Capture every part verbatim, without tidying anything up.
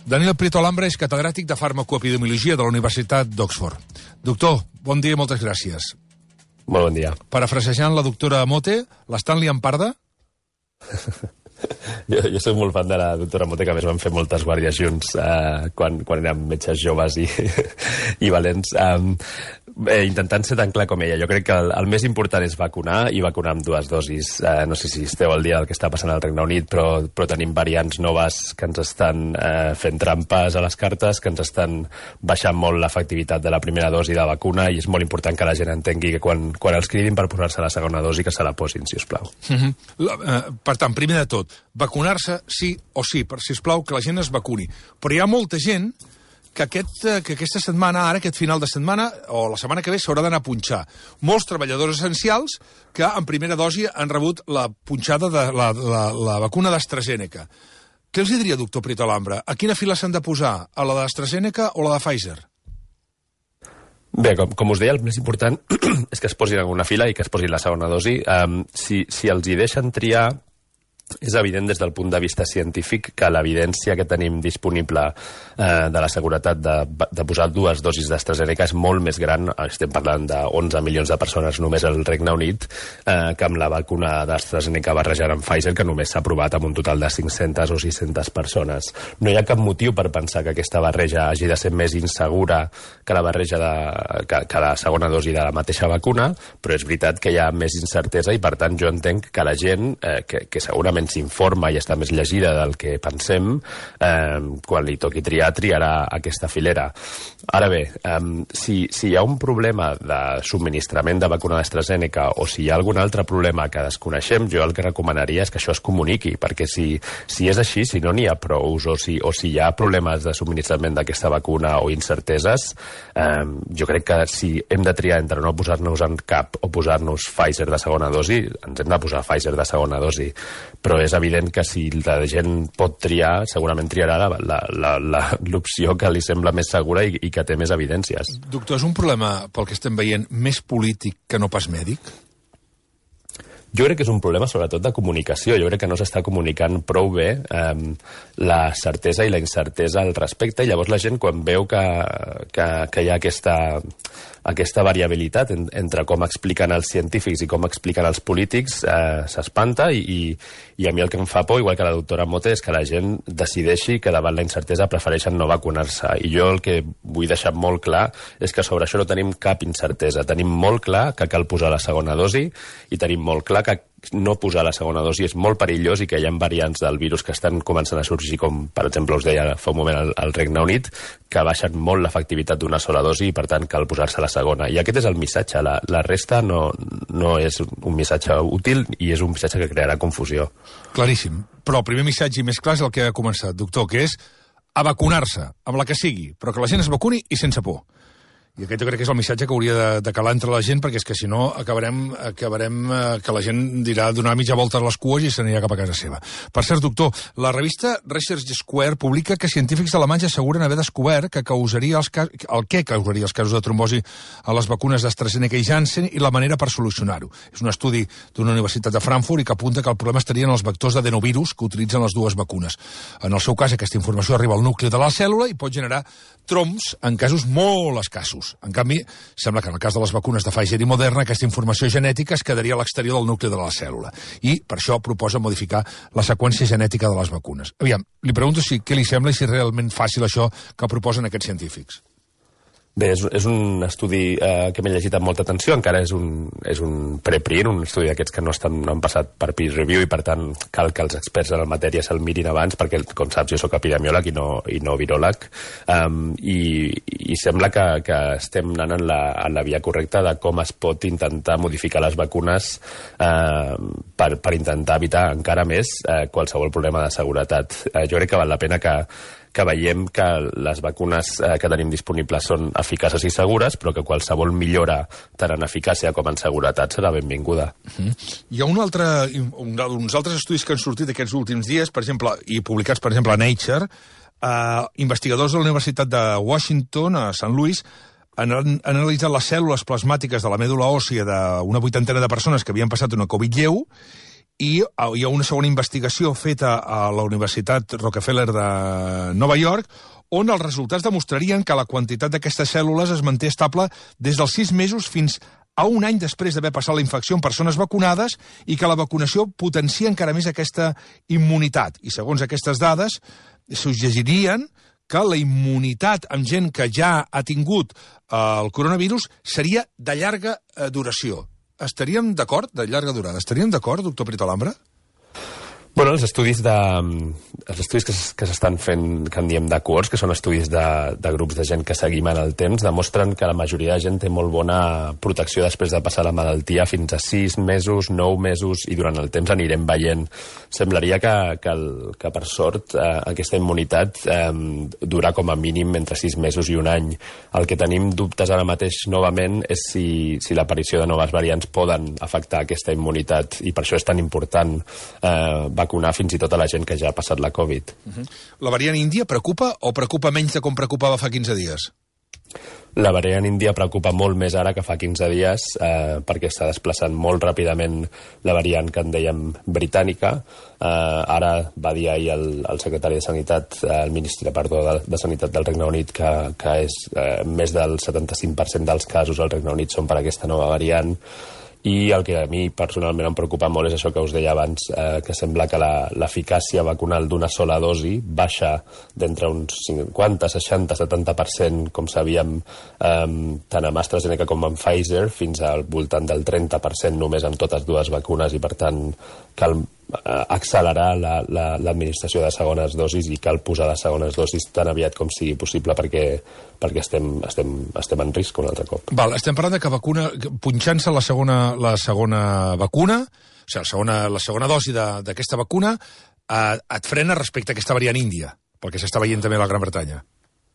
Daniel Prieto Alhambra és catedràtic de farmacoepidemiologia de la Universitat d'Oxford. Doctor, bon dia i moltes gràcies. Molt bon dia. Parafrasejant la doctora Mote, l'estan liant parda? Jo, jo soc molt fan de la doctora Mote, que a més vam fer moltes guàrdies junts eh, quan, quan érem metges joves i, i valents. Um, eh, intentant ser tan clar com ella. Jo crec que el, el més important és vacunar i vacunar amb dues dosis. Eh, no sé si esteu al dia del que està passant al Regne Unit, però, però tenim variants noves que ens estan eh, fent trampes a les cartes, que ens estan baixant molt l'efectivitat de la primera dosi de vacuna, i és molt important que la gent entengui que quan, quan els cridin per posar-se la segona dosi que se la posin, si us plau. Uh-huh. la, eh, per tant, primer de tot, vacunar-se sí o sí, per sisplau que la gent es vacuni. Però hi ha molta gent que, aquest, que aquesta setmana, ara, aquest final de setmana, o la setmana que ve, s'haurà d'anar a punxar. Molts treballadors essencials que en primera dosi han rebut la punxada de la, la, la vacuna d'AstraZeneca. Què els diria, doctor Prieto Alhambra? A quina fila s'han de posar? A la d'AstraZeneca o la de Pfizer? Bé, com, com us deia, el més important és que es posin en una fila i que es posin la segona dosi. Um, si, si els hi deixen triar, és evident des del punt de vista científic que l'evidència que tenim disponible eh, de la seguretat de, de posar dues dosis d'AstraZeneca és molt més gran. Estem parlant d'onze milions de persones només al Regne Unit, eh, que amb la vacuna d'AstraZeneca barrejada amb Pfizer, que només s'ha aprovat amb un total de cinc-centes o sis-centes persones. No hi ha cap motiu per pensar que aquesta barreja hagi de ser més insegura que la barreja de, que, que la segona dosi de la mateixa vacuna, però és veritat que hi ha més incertesa i, per tant, jo entenc que la gent, eh, que, que segurament s'informa i està més llegida del que pensem, eh, quan li toqui triar, triarà aquesta filera. Ara bé, eh, si, si hi ha un problema de subministrament de vacuna d'AstraZeneca o si hi ha algun altre problema que desconeixem, jo el que recomanaria és que això es comuniqui, perquè si, si és així, si no n'hi ha prous o si, o si hi ha problemes de subministrament d'aquesta vacuna o incerteses, eh, jo crec que si hem de triar entre no posar-nos en cap o posar-nos Pfizer de segona dosi, ens hem de posar Pfizer de segona dosi. Però és evident que si la gent pot triar, segurament triarà l'opció que li sembla més segura i, i que té més evidències. Doctor, és un problema, pel que estem veient, més polític que no pas mèdic? Jo crec que és un problema sobretot de comunicació. Jo crec que no s'està comunicant prou bé eh, la certesa i la incertesa al respecte, i llavors la gent, quan veu que, que, que hi ha aquesta, aquesta variabilitat en, entre com expliquen els científics i com expliquen els polítics, eh, s'espanta, i, i, i a mi el que em fa por, igual que la doctora Mote, és que la gent decideixi que davant la incertesa prefereixen no vacunar-se. I jo el que vull deixar molt clar és que sobre això no tenim cap incertesa. Tenim molt clar que cal posar la segona dosi i tenim molt clar que no posar la segona dosi és molt perillós i que hi ha variants del virus que estan començant a sorgir, com per exemple us deia fa un moment al, al Regne Unit, que baixen molt l'efectivitat d'una sola dosi i per tant cal posar-se la segona. I aquest és el missatge. La, la resta no, no és un missatge útil i és un missatge que crearà confusió. Claríssim. Però el primer missatge i més clar és el que ha començat, doctor, que és a vacunar-se, amb la que sigui, però que la gent es vacuni i sense por. I aquest jo crec que és el missatge que hauria de, de calar entre la gent, perquè és que si no acabarem, acabarem eh, que la gent dirà donar mitja volta a les cues i s'anirà cap a casa seva. Per cert, doctor, la revista Research Square publica que científics alemanys asseguren haver descobert que causaria els cas, el què causaria els casos de trombosi a les vacunes d'AstraZeneca i Janssen i la manera per solucionar-ho. És un estudi d'una universitat de Frankfurt i que apunta que el problema estaria en els vectors d'adenovirus que utilitzen les dues vacunes. En el seu cas, aquesta informació arriba al nucli de la cèl·lula i pot generar trombs en casos molt escassos. En canvi, sembla que en el cas de les vacunes de Pfizer i Moderna aquesta informació genètica es quedaria a l'exterior del nucli de la cèl·lula. I per això proposa modificar la seqüència genètica de les vacunes. Aviam, li pregunto si què li sembla i si és realment fàcil això que proposen aquests científics. Bé, és, és un estudi eh, que m'he llegit amb molta atenció, encara és un, és un preprint, un estudi d'aquests que no, estan, no han passat per peer review i per tant cal que els experts en la matèria se'l mirin abans, perquè com saps jo sóc epidemiòleg i no, i no viròleg, um, i, i sembla que, que estem anant en la, en la via correcta de com es pot intentar modificar les vacunes eh, per, per intentar evitar encara més eh, qualsevol problema de seguretat. Eh, jo crec que val la pena que que veiem que les vacunes eh, que tenim disponibles són eficaces i segures, però que qualsevol millora tant en eficàcia com en seguretat serà benvinguda. Uh-huh. Hi ha un altre, un, uns altres estudis que han sortit aquests últims dies, per exemple, i publicats, per exemple, a Nature, eh, investigadors de la Universitat de Washington, a Saint Louis, han, han analitzat les cèl·lules plasmàtiques de la mèdula òssia d'una vuitantena de persones que havien passat una Covid lleu i hi ha una segona investigació feta a la Universitat Rockefeller de Nova York, on els resultats demostrarien que la quantitat d'aquestes cèl·lules es manté estable des dels sis mesos fins a un any després d'haver passat la infecció en persones vacunades i que la vacunació potencia encara més aquesta immunitat. I segons aquestes dades, suggeririen que la immunitat amb gent que ja ha tingut el coronavirus seria de llarga duració. Estaríem d'acord? De llarga durada. Estaríem d'acord, doctor Prieto Alhambra? Bueno, els estudis de, els estudis que, que s'estan fent, que en diem de cohorts, que són estudis de, de grups de gent que seguim en el temps, demostren que la majoria de gent té molt bona protecció després de passar la malaltia fins a sis mesos, nou mesos, i durant el temps anirem veient. Semblaria que, que, el, que per sort, eh, aquesta immunitat eh, dura com a mínim entre sis mesos i un any. El que tenim dubtes ara mateix novament és si, si l'aparició de noves variants poden afectar aquesta immunitat, i per això és tan important eh, vacunar fins i tot a la gent que ja ha passat la Covid. Uh-huh. La variant índia preocupa o preocupa menys de com preocupava fa quinze dies? La variant índia preocupa molt més ara que fa quinze dies eh, perquè està desplaçant molt ràpidament la variant que en dèiem britànica. Eh, ara va dir ahir el, el secretari de Sanitat, eh, el ministre perdó, de, de Sanitat del Regne Unit, que, que és, eh, més del setanta-cinc per cent dels casos al Regne Unit són per aquesta nova variant. I el que a mi personalment em preocupa molt és això que us deia abans, eh, que sembla que l'eficàcia vacunal d'una sola dosi baixa d'entre uns cinquanta, seixanta, setanta per cent, com sabíem, eh, tant amb AstraZeneca com amb Pfizer, fins al voltant del trenta per cent només amb totes dues vacunes, i per tant cal accelerar l'administració la, la, de segones dosis i cal posar les segones dosis tan aviat com sigui possible perquè, perquè estem, estem, estem en risc un altre cop. Val, estem parlant de que vacuna, punxant-se la segona, la segona vacuna, o sigui, la segona, la segona dosi d'aquesta vacuna, eh, et frena respecte a aquesta variant índia, pel que s'està veient també a la Gran Bretanya.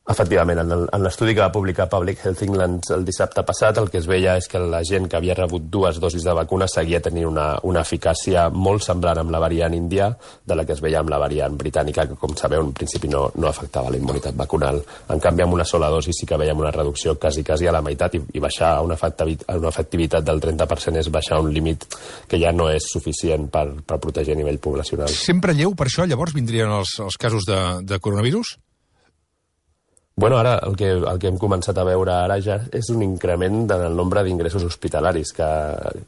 Efectivament, en l'estudi que va publicar Public Health England el dissabte passat, el que es veia és que la gent que havia rebut dues dosis de vacuna seguia tenint una, una eficàcia molt semblant amb la variant índia de la que es veia amb la variant britànica, que, com sabeu, en principi no, no afectava la immunitat vacunal. En canvi, amb una sola dosi sí que veiem una reducció quasi, quasi a la meitat, i, i baixar a una, una efectivitat del trenta per cent és baixar un límit que ja no és suficient per, per protegir a nivell poblacional. Sempre lleu, per això, llavors, vindrien els, els casos de, de coronavirus? Bueno, ara el que, el que hem començat a veure ara ja és un increment en el nombre d'ingressos hospitalaris que,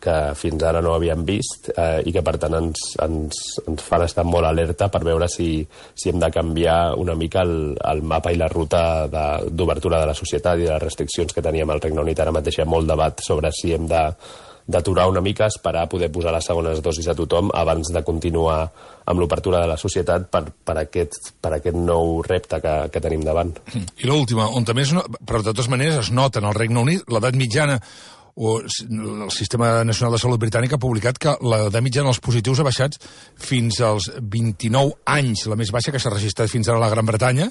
que fins ara no havíem vist, eh, i que per tant ens, ens, ens fan estar molt alerta per veure si, si hem de canviar una mica el, el mapa i la ruta d'obertura de, de la societat i de les restriccions que teníem al Regne Unit. Ara mateix hi ha molt debat sobre si hem de d'aturar una mica, esperar a poder posar les segones dosis a tothom abans de continuar amb l'obertura de la societat per, per, aquest, per aquest nou repte que, que tenim davant. I l'última, on també és, però de totes maneres es nota en el Regne Unit, l'edat mitjana, o el Sistema Nacional de Salut Britànic ha publicat que l'edat mitjana dels positius ha baixat fins als vint-i-nou anys, la més baixa que s'ha registrat fins ara a la Gran Bretanya.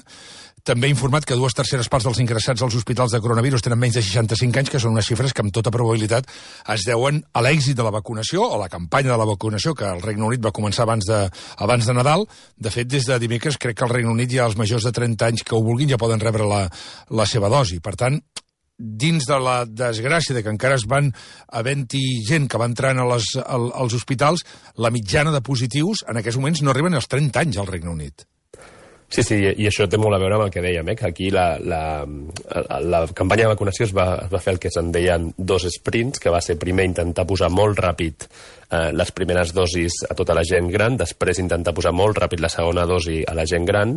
També ha informat que dues terceres parts dels ingressats als hospitals de coronavirus tenen menys de seixanta-cinc anys, que són unes xifres que amb tota probabilitat es deuen a l'èxit de la vacunació, o la campanya de la vacunació, que el Regne Unit va començar abans de, abans de Nadal. De fet, des de dimecres crec que al Regne Unit ja els majors de trenta anys que ho vulguin ja poden rebre la, la seva dosi. Per tant, dins de la desgràcia de que encara es van havent-hi gent que va entrant a les, al, als hospitals, la mitjana de positius en aquests moments no arriben als trenta anys al Regne Unit. Sí, sí, i això té molt a veure amb el que dèiem, eh? Que aquí la, la, la campanya de vacunació es va, es va fer el que se'n deien dos sprints, que va ser primer intentar posar molt ràpid eh, les primeres dosis a tota la gent gran, després intentar posar molt ràpid la segona dosi a la gent gran,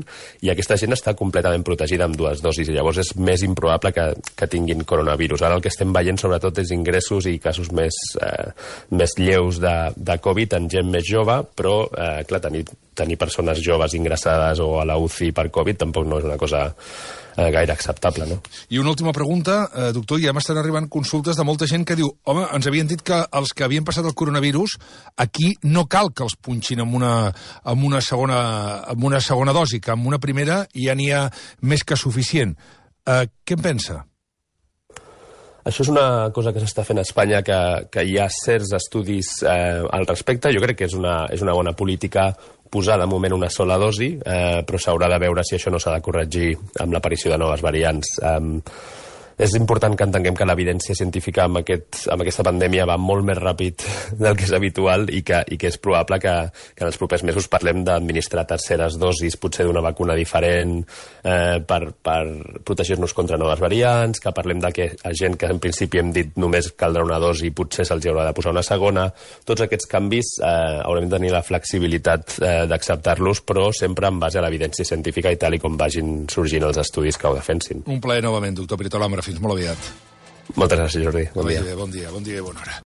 i aquesta gent està completament protegida amb dues dosis, i llavors és més improbable que, que tinguin coronavirus. Ara el que estem veient sobretot és ingressos i casos més, eh, més lleus de, de Covid en gent més jove, però, eh, clar, tenir, tenir persones joves ingressades o a la U C I per Covid tampoc no és una cosa eh, gaire acceptable, no? I una última pregunta, eh, doctor, ja m'estan arribant consultes de molta gent que diu, home, ens havien dit que els que havien passat el coronavirus, aquí no cal que els punxin amb una, amb una, segona, amb una segona dosi, que amb una primera ja n'hi ha més que suficient. Eh, què en pensa? Això és una cosa que s'està fent a Espanya, que, que hi ha certs estudis eh, al respecte. Jo crec que és una, és una bona política posar de moment una sola dosi, eh, però s'haurà de veure si això no s'ha de corregir amb l'aparició de noves variants. Eh, és important que entenguem que l'evidència científica amb, aquest, amb aquesta pandèmia va molt més ràpid del que és habitual i que, i que és probable que, que en els propers mesos parlem d'administrar terceres dosis, potser d'una vacuna diferent eh, per, per protegir-nos contra noves variants, que parlem de que a gent que en principi hem dit només caldrà una dosi i potser se'ls haurà de posar una segona. Tots aquests canvis eh, haurem de tenir la flexibilitat eh, d'acceptar-los, però sempre en base a l'evidència científica i tal i com vagin sorgint els estudis que ho defensin. Un plaer novament, doctor Pirito Lambra. Fins molt aviat. Moltes gràcies, Jordi. Bon dia. Bon dia, bon dia i bona hora.